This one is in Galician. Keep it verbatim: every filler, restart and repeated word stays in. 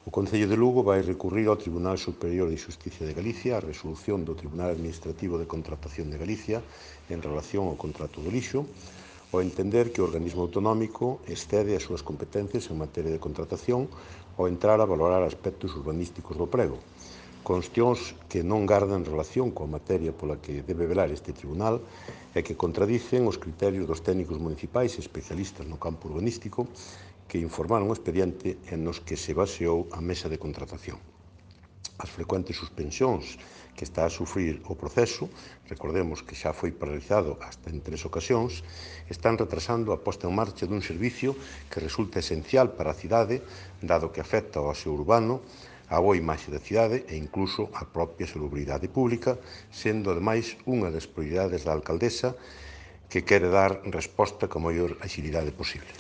O Concello de Lugo vai recurrir ao Tribunal Superior de Xusticia de Galicia a resolución do Tribunal Administrativo de Contratación de Galicia en relación ao contrato do lixo, ao entender que o organismo autonómico excede as súas competencias en materia de contratación ao entrar a valorar aspectos urbanísticos do prego, cuestións que non gardan relación coa materia pola que debe velar este tribunal e que contradicen os criterios dos técnicos municipais e especialistas no campo urbanístico que informaron o expediente e nos que se baseou a mesa de contratación. As frecuentes suspensións que está a sufrir o proceso, recordemos que xa foi paralizado hasta en tres ocasións, están retrasando a posta en marcha dun servicio que resulta esencial para a cidade, dado que afecta ao aseo urbano, a boa imaxe da cidade e incluso a propia salubridade pública, sendo ademais unha das prioridades da alcaldesa que quere dar resposta coa maior axilidade posible.